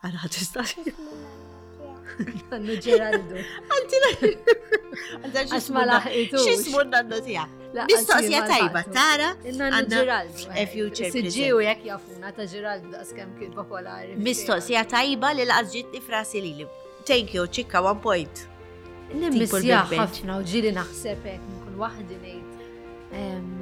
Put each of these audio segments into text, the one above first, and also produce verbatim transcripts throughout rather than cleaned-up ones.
Għana tista' Nannu Ġeraldu. Għax ma laħqitux. X'ismu n-nannu tiegħek? Mistoqsija tajba, tara? Nannu Għandna Ġeraldu. a future Siġġiu jekk jafuna ta' Ġeraldu daqs kemm kien popolari. Mistoqsija tajba li laqas ġietni f'rasi lili. Thank you, ċikka, one point. Nimmissja Tipo l-backbench. ħafna u ġieli naħseb hekk nkun waħdi ngħid. em,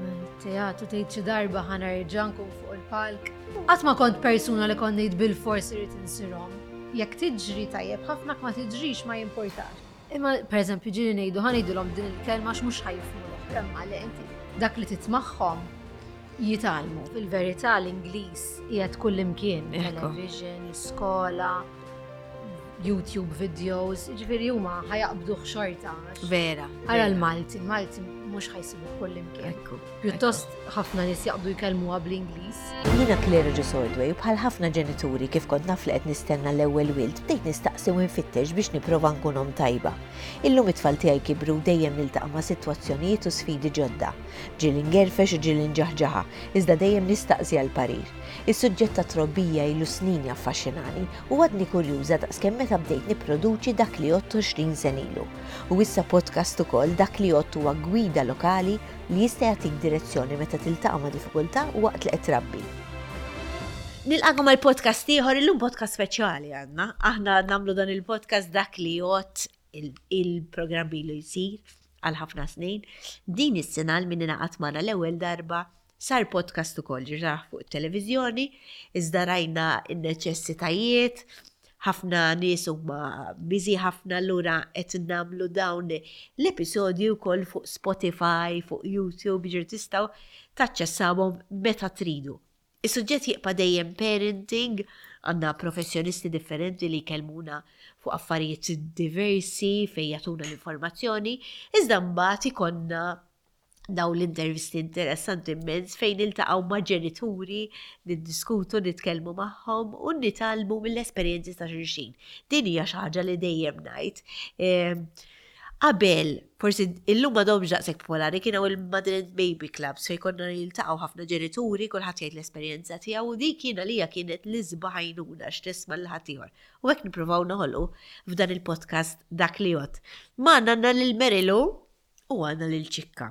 Teatru tgħid xi darba ħa nerġa' nkun fuq il-palk. Qatt ma kont persuna li kont ngħid bil-fors irid insirhom. Jekk tiġri tajjeb ħafna ma tiġrix ma jimportax. Imma pereżempju ġieli ngħidu ħa ngħidulhom din il-kelma x'mhux ħa jifhmu l-oħra, imma le inti dak li titmagħhom jitgħallmu. Fil-verità l-Ingliż qiegħed kullimkien, Ekku. television, l-iskola, YouTube videos, ġifieri huma ħa jaqbduh xorta. għax- Vera. Ara l-Malti, il-Malti mhux ħa jsibu kullimkien. Ekku. Pjuttost ħafna nies jaqbdu jkellmuha bl-Ingliż. Jiena Claire Ġusordway u bħal ħafna ġenituri kif kont naf li qed nistenna l-ewwel wild, bdejt nistaqsi u nfittex biex nipprova nkun omm tajba. Illum it-tfal tiegħi kibru u dejjem niltaqa' ma' sitwazzjonijiet u sfidi ġodda. Ġieli ngerfex u ġieli nġaħġaħa, iżda dejjem nistaqsi għal parir. Is-suġġett ta' trobbija ilu snin jaffaxxinani u għadni kurjuża daqskemm meta bdejt nipproduċi dak li jgħodd għoxrin sena ilu. U issa podcast ukoll dak li jgħodd huwa gwida lokali li jista' jagħtik direzzjoni meta tiltaqa' ma' diffikultà waqt li qed trabbi. Nilqagħkom għal podcast ieħor, illum podcast speċjali għandna. Aħna nagħmlu dan il-podcast dak li jgħodd il-programm ilu jsir għal ħafna snin. Din is-sena l min ingħaqad magħna l-ewwel darba sar podcast ukoll ġirraħ fuq it-televiżjoni, iżda rajna n-neċessitajiet, ħafna nies huma busy ħafna allura qed nagħmlu dawn l-episodji wkoll fuq Spotify, fuq YouTube, ġir tistgħu taċċessawhom meta tridu. Is-suġġett jibqa' dejjem parenting, għandna professjonisti differenti li jkellmuna fuq affarijiet diversi fejn jagħtuna l-informazzjoni, iżda mbagħad ikollna daw l-intervisti interessanti immens fejn niltaqgħu ma' ġenituri, niddiskutu, nitkellmu magħhom u nitgħallmu mill-esperjenzi ta' xulxin. Din hija xi ħaġa li dejjem ngħid. Ehm, Qabel, forsi illum m'għadhomx daqshekk popolari, kienu il-Mother and Baby Clubs fejn konna jiltaqgħu ħafna ġenituri, kulħadd jgħid l-esperjenza tiegħu u dik kien għalija kienet l-isbaħ għajnuna x'tisma' lil ħaddieħor. U hekk nippruvaw noħolqu f'dan il-podcast dak li jgħodd. Magħna għandna lil Merilu u għandna lil Ċikka.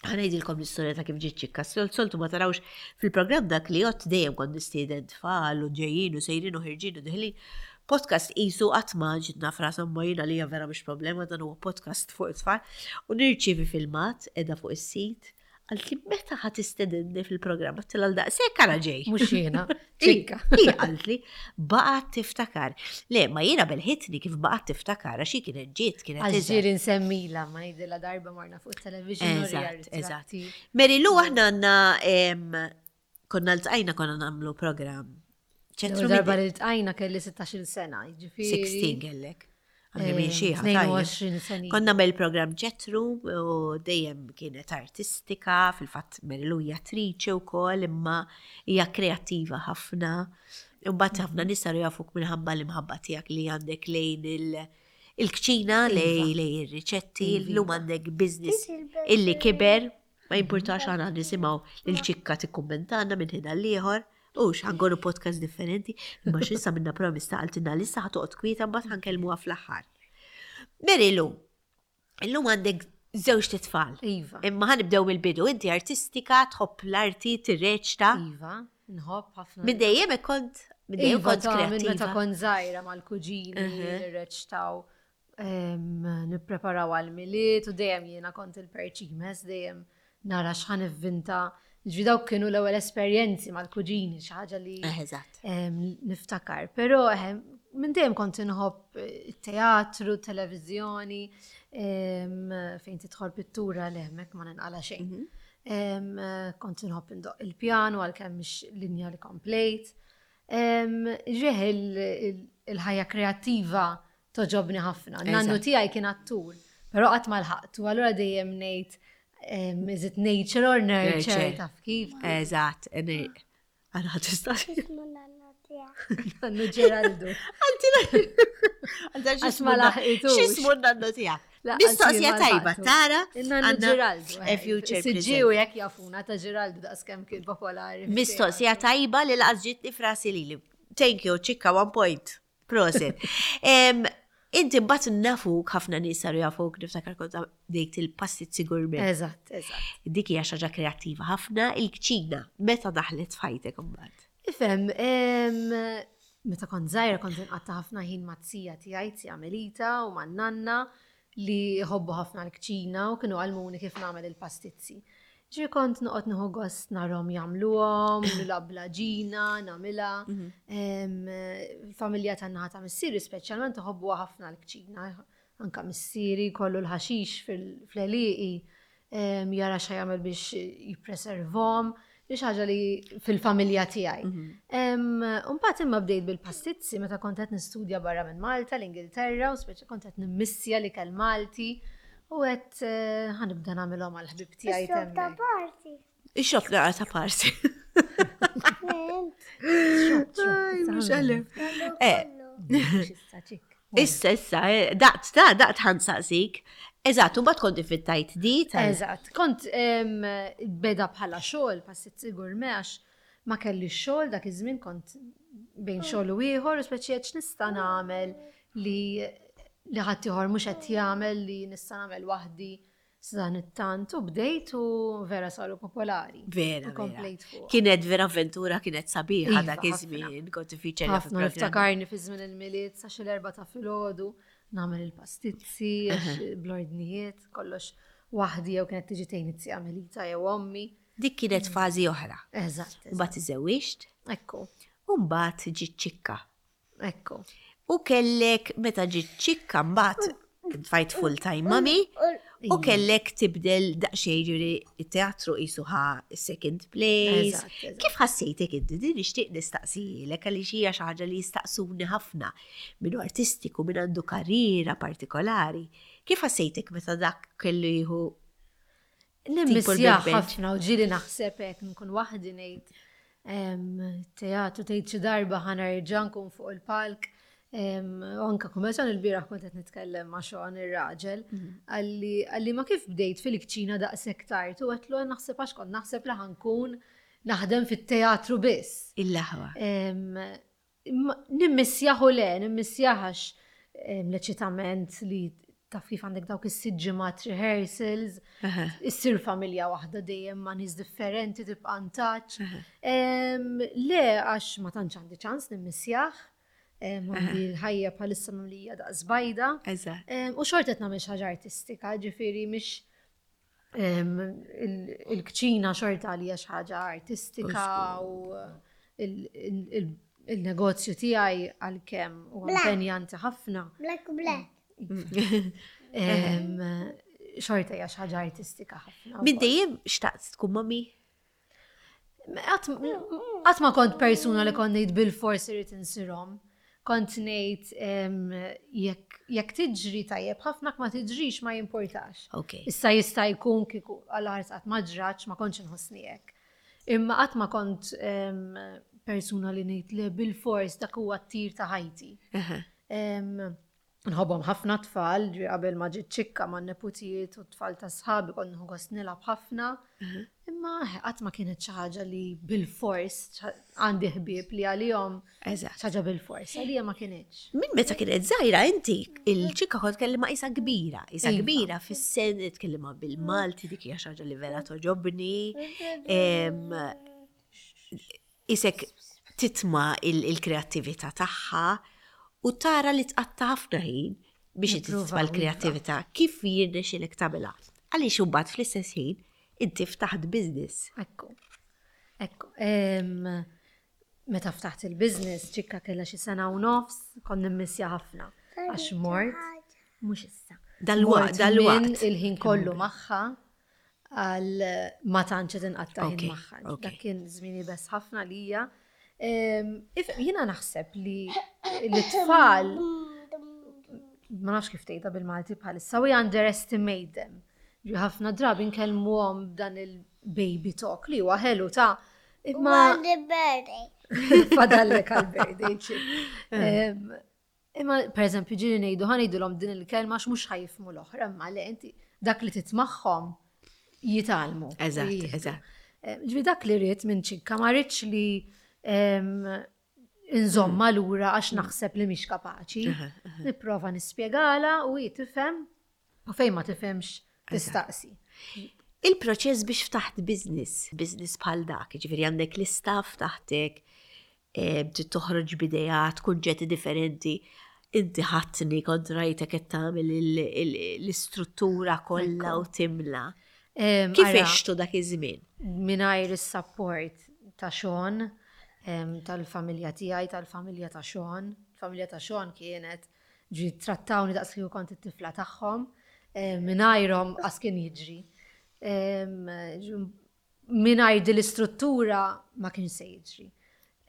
Ħa ngħidilkom l-istorja ta' kif ġiet ċikka. Sol- Soltu ma tarawx fil-programm dak li jgħodd dejjem kont nistieden tfal u ġejjin u sejrin u ħirġin u deħlin. Podcast qisu qatt ma ġitna frasa ma jiena li vera mhux problema dan huwa podcast fuq it-tfal. U nirċievi filmat qiegħda fuq is-sit. Qaltli meta ħa tistedinni fil-programm għedtilha għal daqshekk għala ġej. Mhux jiena, ċikka. Hi qaltli baqgħet tiftakar. Le, ma jiena belħitni kif baqgħet tiftakar għax hi kienet ġiet kienet Għax iżgħar. ġieli nsemmila, ma ngħidilha darba marna fuq television. Eżatt, eżatt. Mary Lou aħna għandna em, konna ltqajna konna nagħmlu programm. ċentru Darba li ltqajna kelli sittax-il sena, ġifieri. sittax kellek. Għandi minn Eh, xi ħadd, tnejn u għoxrin sena. Konna nagħmel programm ċentru u dejjem kienet artistika, fil-fatt Mary Lou hija attriċi wkoll, imma hija kreattiva ħafna. Imbagħad ħafna nies saru jafuk minħabba l-imħabba tiegħek li għandek lejn il- il-kċina, lej lej ir-riċetti, llum għandek business illi kiber, ma jimpurtax għana nisimgħu lil ċikka tikkummentana minn ħin għall-ieħor. U ħa nkunu podcast differenti, imma x'issa minna promessa qaltilna lissa ħa toqgħod kwieta mbagħad ħa nkellmuha fl-aħħar. Mary Lou, illum għandek żewġt itfal. Iva. Imma ħa nibdew mill-bidu, inti artistika, tħobb l-arti, tirreċta. Iva, nħobb ħafna. Minn dejjem hekk kont, minn dejjem Iva, kont ta' minn meta kreattiva. kont żgħira mal-kuġini, nirreċtaw, em, nippreparaw għal-Milied u dejjem jiena kont il-perċimes, dejjem nara x'ħa nivvinta. Ġifieri dawk kienu l-ewwel esperjenzi mal-kuġini, xi ħaġa li Eh, Eżatt. em, niftakar. Però ehm, minn dejjem kont inħobb teatru, televiżjoni, em, fejn tidħol pittura li hemmhekk ma ninqala xejn. Em, Kont inħobb indoq il-pjanu għalkemm mhix linja li komplejt. Em, Ġeħ il- il-ħajja kreattiva togħġobni ħafna. Nannu Eżatt. tiegħi kien attur, però qatt ma lħaqtu, allura dejjem ngħid em, is it nature or nurture, Nurture. taf kif? Eżatt. Għana tista' Nannu Ġeraldu. Għax ma laħqitux. X'ismu n-nannu tiegħek? La, Mistoqsija għax ma tajba, laħqtu. tara? Nannu għandna Ġeraldu. A future Siġġiu jekk jafuna ta' Ġeraldu daqs kemm kien popolari. Mistoqsija tajba li laqas ġitni frasi lili. Thank you, Ċikka, one point. Prosit. Em, Inti mbagħad nafuk, ħafna nies saru jafuk, niftakar kont bdejt il-pastizzi gourmet. Eżatt, eżatt. Dik hija xi ħaġa kreattiva ħafna, il-kċina, meta daħlet f'ħajtek imbagħad? Ifhem, em, meta kont żgħira kont inqatta' ħafna ħin maz-zija tiegħi, zija Melita u man-nanna li jħobbu ħafna l-kċina u kienu għallmuni kif nagħmel il-pastizzi. Ġifieri kont noqgħod nieħu gost narahom jagħmluhom, nilgħab bl-għaġina, nagħmilha. Em, Il-familja tan-naħa ta' missieri speċjalment iħobbuha ħafna l-kċina. Anka missieri kollu l-ħaxix fil-għelieqi em, jara x'jagħmel biex jippreservhom, li ħaġa li fil-familja tiegħi. Mbagħad imma bdejt bil-pastizzi meta kont qed nistudja barra minn Malta, l-Ingilterra, u speċi kont qed nimmissja l-ikel Malti u qed eh, ħa nibda nagħmilhom għall-ħbieb tiegħi Ix-shop ta' hemmhekk. parti. Ix-shop naqra ta' parti. Xop, Mhux għalif. Eh, Issa ċik. Issa, issa, eh, daqt, ta' daqt ħa nsaqsik. Eżatt, u mbagħad kont fittajt di tal- Eżatt, kont em, beda bħala xogħol, pastizzi gourmet għax ma kelli xogħol dak iż-żmien, kont bejn xogħol u ieħor u speċi qed nista' nagħmel li li ħadd ieħor mhux qed jagħmel, li nista' nagħmel waħdi dan it-tant, u bdejt u vera saru popolari. Vera, U komplejt vera. fuq. Kienet vera avventura, kienet sabiħa Iva, dak ħafna. iż-żmien, kont tiffiċerja. Ħafna niftakarni fi żmien il-Milied sa xi l-erbgħa ta' filgħodu nagħmel il-pastizzi, għax bl-ordnijiet, kollox waħdi jew kienet tiġi tgħin iz-zija Melita jew ommi. Dik kienet fażi oħra. Eżatt. eżatt. Mbagħad iżewwiġt, Ekku, u mbagħad ġiet Ċikka. Ekku. U kellek meta ġiet Ċikka mbagħad tfajt full time mami u kellek tibdel daqsxejn, ġifieri it-teatru qisu ħa second place. Eżatt, eżatt. Kif ħassejtek inti? Din nixtieq nistaqsilek għaliex hija xi ħaġa li jistaqsuni ħafna minn artistiku, minn għandu karriera partikolari. Kif ħassejtek meta dak kellu jieħu Nimmissja l-backbench? ħafna u ġieli naħseb hekk nkun waħdi ngħid em, teatru, tgħid xi darba ħa nerġa' nkun fuq il-palk. Em, U anka kummerċan il-bieraħ kont qed nitkellem ma' Sean ir-raġel, għalli għalli ma kif bdejt fil-kċina daqshekk tard, u għedtlu naħseb għax kont naħseb li ħa nkun naħdem fit-teatru biss. Il-laħwa. Em, imma Nimmissjahu le, nimmissjahax l-eċitament li taf kif għandek dawk is-sitt ġimgħat rehearsals, issir familja waħda dejjem ma' nies differenti, tibqa' in touch. Em, Le, għax ma tantx għandi ċans nimmissjah, em, għandi l-ħajja bħalissa mimlija daqs bajda. Eżatt. Em, U xorta qed nagħmel xi ħaġa artistika, ġifieri mhix em, il- il-kċina xorta għalija xi ħaġa artistika u il- il- il- il-negozju tiegħi, għalkemm huwa impenjanti ħafna. Black black. em, Xorta hija xi ħaġa artistika ħafna. Minn dejjem xtaqt tkun mami? Qatt ma kont persuna li kont ngħid bil-fors irrid insir omm. Kont ngħid em, jekk jekk tiġri tajjeb ħafna, ma tiġrix ma jimportax. Ok. Issa jista' jkun kieku għal ħares qatt ma ġratx ma kontx inħossni hekk. Imma qatt ma kont em, persuna li ngħid li bil-fors dak huwa t-tir ta' ħajti. Em, Nħobbhom ħafna tfal, ġi qabel ma ġiet Ċikka ma' neputijiet u tfal ta' sħabi kont nieħu gost nilgħab ħafna. Imma qatt ma kienet xi ħaġa li bil-fors, għandi ħbieb li għalihom Eżatt. xi ħaġa bil-fors, għalija ma kinitx. Minn meta kienet żgħira inti, il-Ċikka kont tkellimha isa kbira, isa Iva. kbira fis-sen, tkellimha bil-Malti, dik hija xi ħaġa li vera togħġobni. Em, Isek titma il-kreattività tagħha u tara li tqatta' ħafna ħin biex Nipprova, titma l-kreattività. Kif jirnexxilek tagħmilha? Għaliex imbagħad fl-istess ħin inti ftaħt business. Ekku. Ekku. Em, Meta ftaħt il-business, Ċikka kellha xi sena u nofs, kont nimmissja ħafna. Għax mort, mhux issa. Dal-waqt, Mort dal-waqt. minn il-ħin kollu magħha għal ma tantx qed inqatta' ħin Ok, magħha. ok. Dak kien żmien iebes ħafna lija. Em, if- Jiena naħseb li l-tfal, ma nafx kif tgħidha bil-Malti bħalissa, we underestimate them. Ġi ħafna drabi nkellmuhom b'dan il-baby talk li huwa ħelu ta' imma Għandi birthday. Fadallek għal-birthday. Em, Imma, per eżempju, ġieli ngħidu, ħa ngħidulhom din il-kelma għax mhux ħa jifhmu l-oħra, imma le, inti dak li titmagħhom jitgħallmu. Eżatt, Jieħdu. eżatt. Em, Ġifieri dak li rrid minn Ċikka, ma rridx li em, Inżomma lura għax naħseb li mhix kapaċi. Nipprova nispjegala u hi tifhem u fejn ma tifhemx tistaqsi. Il-proċess biex ftaħt business, business bħal dak, ġifieri għandek l-istaff taħtek, eh, trid toħroġ b'ideat, kunċetti differenti. Inti ħadtni kont rajtek qed tagħmel il- il- l-istruttura kollha u timla. Em, Kif ara, għextu dak iż-żmien? Mingħajr is-support ta' Sean, em, tal-familja tiegħi, tal-familja ta' Sean. Il-familja ta' Sean kienet ġi trattawni daqs kieku kont it-tifla tagħhom, em, mingħajrhom qas kien jiġri. Em, ġu- Mingħajr din l-istruttura ma kienx se jiġri.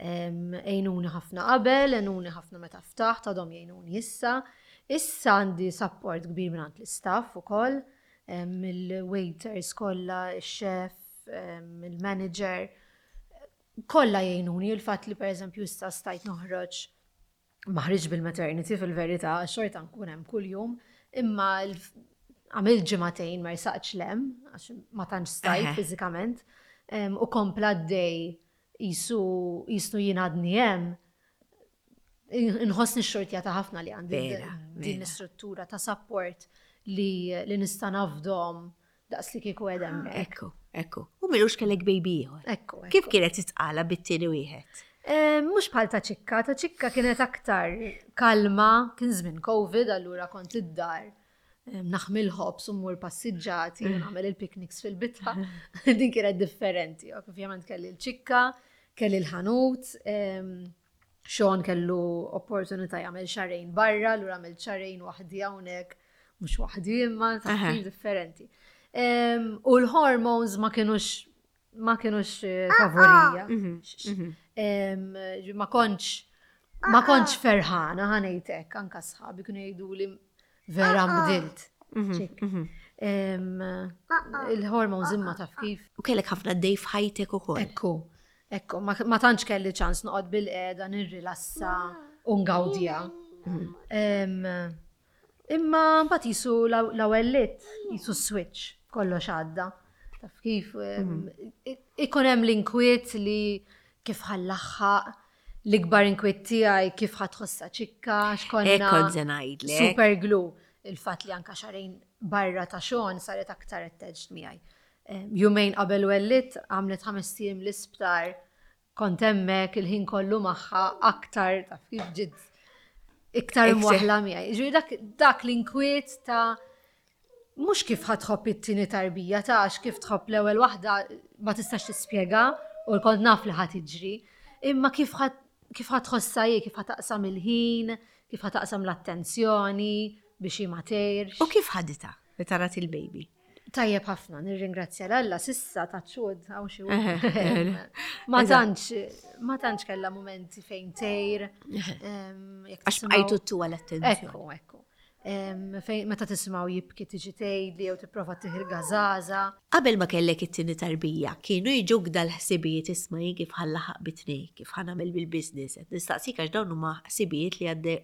Em, Għenuni ħafna qabel, għenuni ħafna meta ftaħt, għadhom jgħinuni issa. Issa għandi support kbir minn l-istaff ukoll, em, il-waiters kollha, il-chef, em, il-manager, kollha jgħinuni. Il-fatt li per eżempju issa stajt noħroġ ma ħriġ bil-maternity fil-verità, xorta nkun hemm kuljum, imma l- għamilt ġimagħtejn ma rsaqtx 'l hemm, għax ma tantx stajt Eħe. fiżikament, em, u kompla d-dej jisu jisu jien għadni hemm. Inħossni xortjata ħafna li għandi Vera, din vera. l-istruttura ta' support li, li nista' nafdahom daqs li kieku qegħda hemmhekk. Ekku, ekku. U m'ilux kellek baby ieħor. Ekku, ekku. Kif kienet titqala bit-tieni wieħed? Eh, Mhux bħal ta' ċikka, ta' ċikka kienet aktar kalma, kien żmien Covid, allura kont id-dar. eh, Naħmi l-ħobż u mmur passiġġati, u nagħmel il-picnics fil-bitħa. Din kienet differenti. Ovvjament kelli l-ċikka, kelli l-ħanut, em, Sean kellu opportunità jagħmel xahrejn barra, allura għamel xahrejn waħdi hawnhekk, mhux waħdi imma ta' Aha. kif differenti. Em, U l-hormones ma kienux ma kienux eh, favorija. Em, ġi- Ma kontx ma kontx ferħana ħa ngħidlek, anka sħabi kienu jgħidu li vera nbdilt. Ċik. Em, Il-hormones imma taf kif. U kellek ħafna dej f'ħajtek ukoll. Ekku, ekku, ma, ma tantx kelli ċans noqgħod bil-qiegħda nirrilassa u ngawdija. Em, Imma mbagħad jisu l-ewwel jisu switch, kollox għadda. Taf kif em, i- ikun hemm l-inkwiet li kif ħa nlaħħaq, l-ikbar inkwiet tiegħi kif ħa tħossha ċikka, x'konna. Hekk kont se ngħidlek. Super glue. Il-fatt li anka xahrejn barra ta' Sean saret aktar attached miegħi. Em, Jumejn qabel wellidt għamlet ħames ijiem l-isptar, kont hemmhekk il-ħin kollu magħha aktar taf kif ġiet iktar Iktar. imwaħla miegħi. Ġifieri dak, dak l-inkwiet ta' mhux kif ħa tħobb it-tieni tarbija ta' għax kif tħobb l-ewwel waħda ma tistax tispjega u kont naf li ħa tiġri, imma kif ħa kif ħa tħossha hi, kif ħa taqsam il-ħin, kif ħa taqsam l-attenzjoni biex hi ma tgħirx. U kif ħaditha meta rat il-baby? Tajjeb ħafna, nirringrazzja 'l Alla, s'issa ta' ċud, għaw xi Eħe, Ma tantx, ma tantx kella momenti fejn tgħir. em, jekk Għax tisimgħu- bqajtu tu l-attenzjoni. Ekku, ekku. Em, Fejn meta tisimgħu jibki tiġi tgħidli jew tipprova tih il-gażaża. Qabel ma kellek it-tieni tarbija, kienu jiġuk dal-ħsibijiet isma' jien kif ħa nlaħħaq bit-tnejn, kif ħa nagħmel bil-business. Qed Nistaqsik għax dawn huma ħsibijiet li għadde-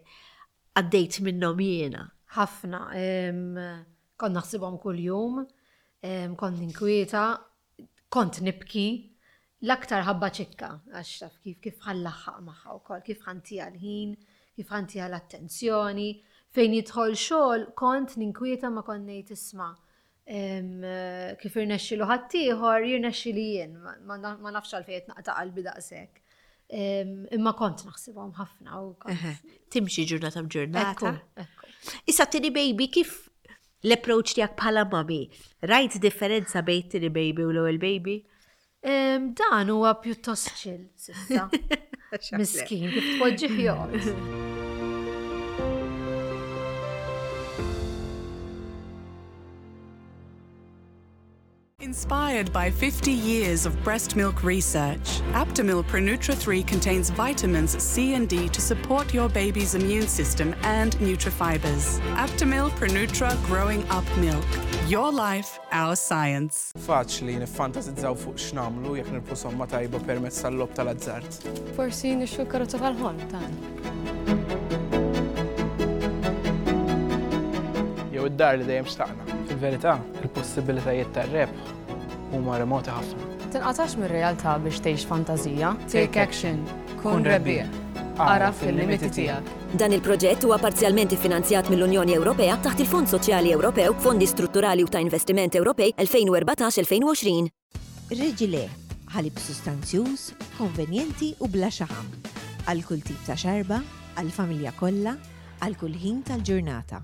għaddejt minnhom jiena. ħafna. em, Kont naħsibhom kuljum, em, kont ninkwieta, kont nibki, l-aktar ħabba ċikka, għax taf kif kif ħa nlaħħaq magħha wkoll, kif ħa ntiha l-ħin, kif ħa ntiha l-attenzjoni, fejn jidħol xogħol kont ninkwieta ma kont ngħid isma' em, kif irnexxilu ħaddieħor, jirnexxili jien, ma- ma ma nafx għalfejn qed naqta' qalbi daqshekk. Em, Imma kont naħsibhom ħafna u kont. Eħe, Timxi ġurnata b'ġurnata. Ekku, ekku. Issa t-tieni baby kif l-approach tiegħek bħala mami? Rajt differenza bejn t-tieni baby u l-ewwel baby? Em, Dan huwa pjuttost chill, s'issa. Miskin, kif tpoġġih joqgħod. Inspired by fifty years of breast milk research, Aptamil Pronutra three contains vitamins C and D to support your baby's immune system and nutrifibers. Aptamil Pronutra Growing Up Milk. Your life, our science. Faċli niffantasizzaw fuq x'nagħmlu jekk nirbħu somma tajba permezz tal-logħob tal-azzard. Forsi nixtru karozza tal-ħolm tagħna. Jew id-dar li dejjem xtaqna. Fil-verità, il-possibilitajiet tar-rebħ huma remoti ħafna. Tinqatax mir-realtà biex tgħix fantażija. Take action. Kun rebbieħ. Agħraf il-limiti tiegħek. Dan il-proġett huwa parzjalment iffinanzjat mill-Unjoni Ewropea taħt il-Fond Soċjali Ewropew, Fondi Strutturali u ta' Investiment Ewropej elfejn u erbatax-elfejn u għoxrin. Reġile, ħalib sustanzjuż, konvenjenti u bla xaħam. Għal kull tip ta' xarba, għal familja kollha, għal kull ħin tal-ġurnata.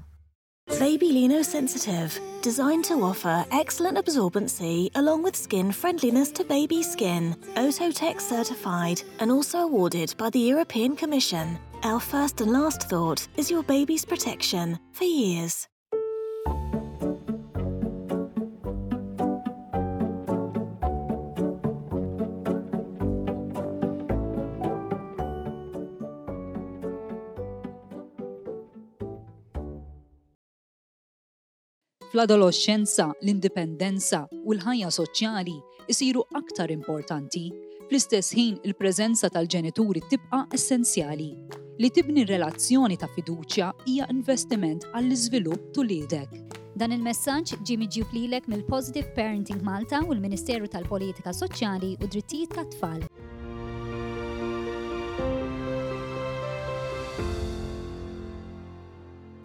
Baby Lino Sensitive, designed to offer excellent absorbency along with skin friendliness to baby skin. Oeko-Tex certified and also awarded by the European Commission. Our first and last thought is your baby's protection for years. Fl-adolescenza, l-indipendenza u l-ħajja soċjali isiru aktar importanti. Fl-istess ħin, il-preżenza tal-ġenituri tibqa' essenzjali. Li tibni relazzjoni ta' fiduċja hija investiment għall-iżvilupp t'uliedek. Dan il-messaġġ ġie miġjub lilek mill-Positive Parenting Malta u l-Ministeru tal-Politika Soċjali u Drittijiet tat-Tfal.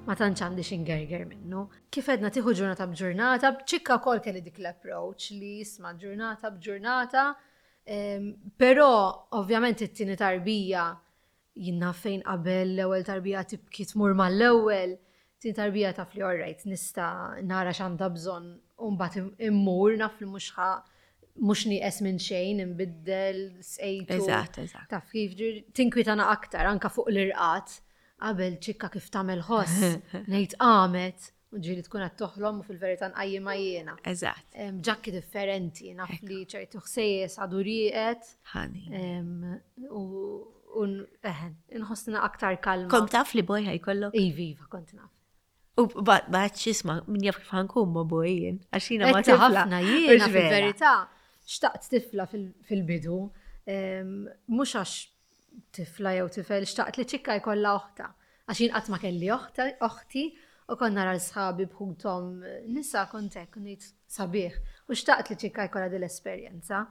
Ma tantx għandi x'ingerger minnu. Kif edna tieħu ġurnata b'ġurnata, b'ċikka wkoll kelli dik l-approach li jisma' ġurnata b'ġurnata, em, però ovvjament it-tieni tarbija jiena fejn qabel l-ewwel tarbija tibki tmur mal-ewwel, tieni tarbija taf li alright nista' nara x'għandha bżonn u mbagħad immur naf li mhux ħa mhux nieqes minn xejn, imbiddel, sqejtu. Eżatt, eżatt. Taf kif ġir- tinkwitana aktar anka fuq l-irqad. Qabel ċikka kif tagħmel ħoss, ngħid qamet, u ġieli tkun qed toħlom u fil-verità nqajjimha jiena. Eżatt. Em, Ġakki differenti, naf li ċertu ħsejjes għadu rieqed. Ħani. em, U u eħen, inħossna aktar kalma. Kont taf li boy ħa jkollok? Iva, iva, kont naf. U bat xisma, min jaf kif ħa nkun ma' boy jien. Għax jiena ma' Etta tifla. ħafna jiena Mhux vera. fil-verità xtaqt tifla fil- fil-bidu, em, mhux għax tifla jew tifel, xtaqt li ċikka jkollha oħta. Għax jien qatt ma kelli oħta, oħti u kont nara l-sħabi bħutom nisa kont hekk ngħid sabiħ. U xtaqt li ċikka jkollha din l-esperjenza.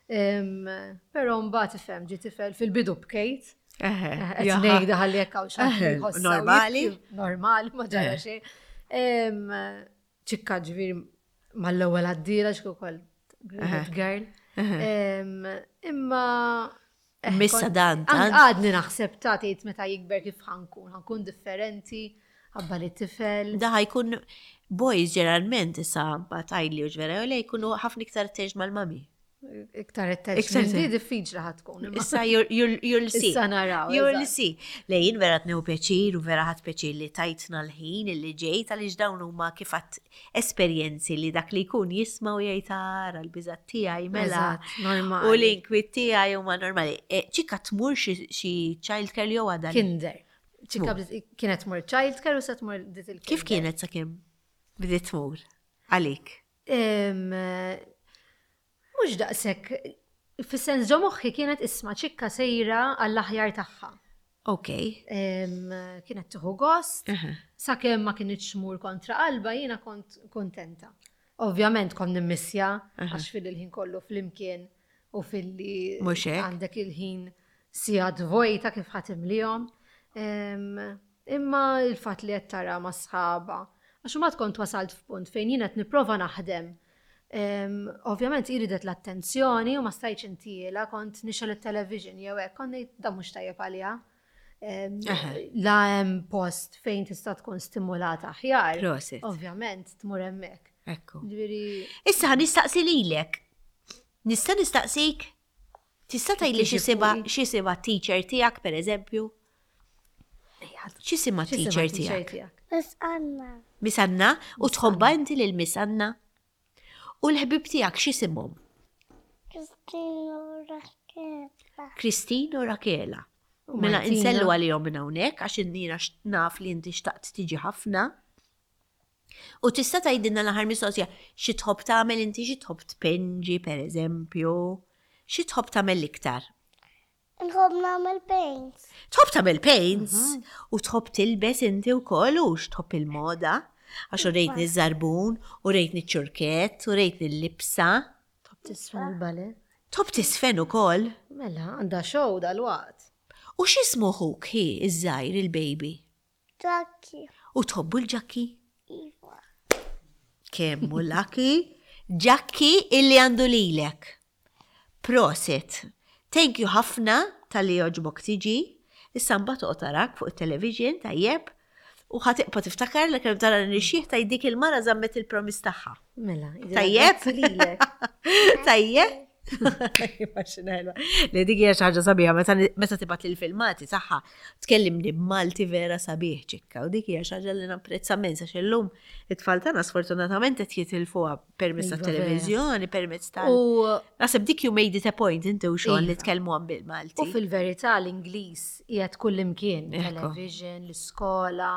Em, Però mbagħad ifhem ġie tifel fil-bidu bkejt. Eħe, Qed jaha. ngħidha ħalli jekk hawn xi ħadd Eħe, jħossha u normali. jibki. Normali, ma ġara Eh. xejn. Em, ċikka ġifieri mal-ewwel għaddila x'kien ukoll Eħe. girl. Eħe. Em, Imma eh, Missa kont- dan, an- tant. Għadni naħseb ta' tgħid meta jikber kif ħa nkun, ħa nkun differenti, ħabba li tifel. Da ħa jkun boys ġeneralment issa ma tajli u ġvera, u le jkunu ħafna iktar attached mal-mami. Iktar Iktar attached. Di attached. diffiċli ħa tkun. imma- Issa you'll- you'll you'll see. Issa naraw. You'll eżatt. see. Le jien vera tnew pjaċir u vera ħadt pjaċir li tajtna l-ħin illi ġejt għaliex dawn huma kif għedt esperjenzi li dak li jkun jisma' u jgħid ara l-biżat tiegħi mela. Eżatt, normali. U l-inkwiet tiegħi huma normali. E, ċikka tmur xi xi childcare jew għadha? Kinder. ċikka Tmur. bdiet- kienet tmur childcare u se tmur dit il Kif kienet sakemm bdiet tmur għalik? Em, Mhux daqshekk, fis-sens ġo moħħi kienet isma' ċikka sejra għall-aħjar tagħha. Ok. Em, Kienet tieħu gost, Aha. sakemm ma kinitx tmur kontra qalba jiena kont kontenta. Ovvjament kont nimmissja għax fil-ħin kollu flimkien u filli Mhux hekk. għandek il-ħin sigħat vojta kif ħa timlihom. Em, Imma il-fatt li qed tara ma' sħaba. Għax ma kont wasalt f'punt fejn jiena qed nipprova naħdem. Em, Ovvjament iridet l-attenzjoni u ma stajtx intiela, kont nixgħel it-television jew hekk, kont ngħid da mhux tajjeb għaliha. Em, La hemm post fejn tista' tkun stimulata aħjar. Prosit. Ovvjament tmur hemmhekk. Ekku. Ġifieri Issa ħa nistaqsi lilek. Nista' nistaqsik? Tista' tgħidli Tiġi x'isibha fuqi. x'isibha teacher tiegħek pereżempju? X'isima x'isima teacher teacher tiegħek? tiegħek? Miss Anna. Miss Anna, u tħobbha inti lil Miss Anna? U l-ħbib tiegħek x'isimhom? Christine u Rakela. Christine u Rakela. U Mela Martina. insellu għalihom minn hawnhekk għax jiena naf li inti xtaqt tiġi ħafna. U tista' tgħidilna l-aħħar mistoqsija xi tħobb tagħmel inti xi tħobb tpinġi pereżempju, xi tħobb tagħmel l-iktar? Nħobb nagħmel paints. Tħobb tagħmel paints u tħobb tilbes inti wkoll u x'tħobb il-moda għax u rejtni ż-żarbun u rejtni ċ-ċurkett u rejtni l-libsa. Tħobb tisfen il-ballet. Tħobb tisfen ukoll Mela, għandha show dal-waqt. U x'ismu ħuk hi iż-żgħir il-baby? Ġakki. U tħobbu l-Ġakki? Iva. Kemm hu lucky? Ġakki illi għandu lilek. Prosit. Thank you ħafna talli għoġbok tiġi. Issa mbagħad toqgħod tarak fuq it-television tajjeb u ħa tibqa' tiftakar li kemm tara nixjieħ ta' dik il-mara żammet il-promise tagħha. Mela, Tajjeb? grazzi lilek. Tajjeb? Li dik hija xi ħaġa sabiħa meta meta tibgħat il-filmati tagħha tkellimni b'Malti vera sabiħ ċikka u dik hija xi ħaġa li napprezza immens għax illum it-tfal tagħna sfortunatament qed jitilfuha permezz Iva, tat-televiżjoni, permezz tal. U Naħseb dik you made it a point inti u xogħol li Iva. tkellmu għan bil-Malti. U fil-verità l-Ingliż qiegħed kull imkien, Ekku. television, l-iskola,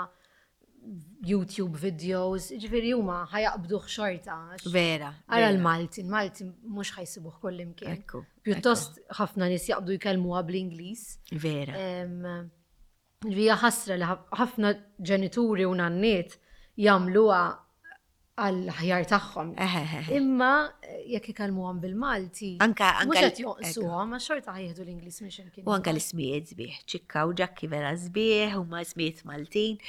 YouTube videos, ġifieri huma ħa jaqbduh xorta. għax Vera. Ara vera. l-Malti, l-Malti mhux ħa jsibuh kull imkien. Ekku. Pjuttost ħafna nies jaqbdu jkellmuha bl-Ingliż. Vera. Em, Ġifieri hija ħasra li ħafna ġenituri u nanniet jagħmluha għall-aħjar tagħhom. Eħe, Imma eh, jekk ikellmuhom bil-Malti, Anka mhux anka qed jonqsuhom, ma xorta ħa jieħdu l-Ingliż minn x'imkien. U anka l-ismijiet sbieħ, ċikka u ġakki vera sbieħ, u ma ismijiet Maltin.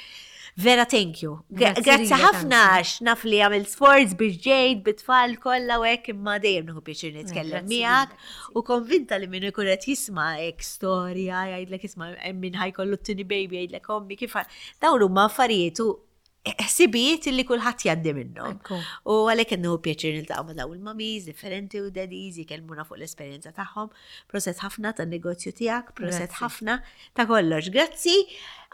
Vera thank you. Gra- Grazzi Grazzi lilek ħafna anki. għax naf li għamil sforz biex ġejt bit-tfal kollha u hekk imma dejjem nieħu pjaċir nitkellem Grazzi miegħek lilek, u konvinta li min ikun qed jisma' hekk storja jgħidlek isma' hemm min ħa jkollu t-tieni baby jgħidlek ommi kif dawn huma affarijiet u ħsibijiet li kulħadd jgħaddi minnhom. Ekku. U għalhekk nieħu pjaċir niltaqgħu ma' dawn il-mummies differenti u daddies jkellmuna fuq l-esperjenza tagħhom. Proset ħafna tan-negozju tiegħek, proset Grazzi. ħafna ta' kollox. Grazzi.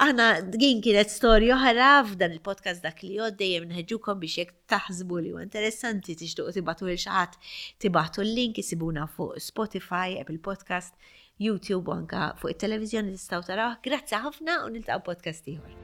Aħna din kienet storja oħra f'dan il-podcast dak li jgħod dejjem nħeġġukom biex jekk taħsbu li huwa interessanti tixtuqu tibagħtu lil xi ħadd tibagħtu l-link isibuna fuq Spotify, Apple Podcast, YouTube u anka fuq it-televiżjoni tistgħu taraw. Grazzi ħafna u niltaqgħu podcast ieħor.